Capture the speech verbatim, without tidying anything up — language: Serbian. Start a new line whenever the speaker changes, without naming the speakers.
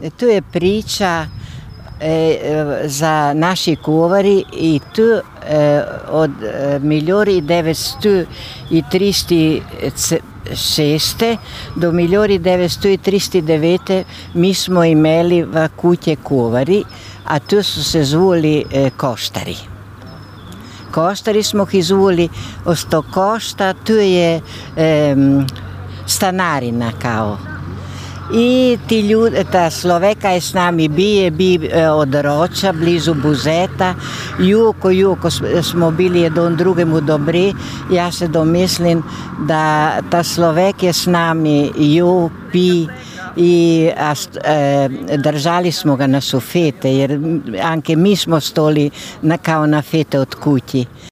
tu je priča e, za naši kuvari i tu e, od milijoni devetsto trideset šest do milijoni devetsto trideset devet mi smo imeli v kutje kuvari, a tu so se zvuli e, koštari. Koštari smo jih zvuli, osto košta, tu je e, stanarina kao. I ti ljudi, ta Sloveka je s nami bije, bi od Roča, blizu Buzeta, juko, juko smo bili jedan drugemu dobri. Ja se domislim da ta Slovek je s nami ju, pi i a, e, držali smo ga na sufete, jer anche mi smo stoli na, kao na fete od kući.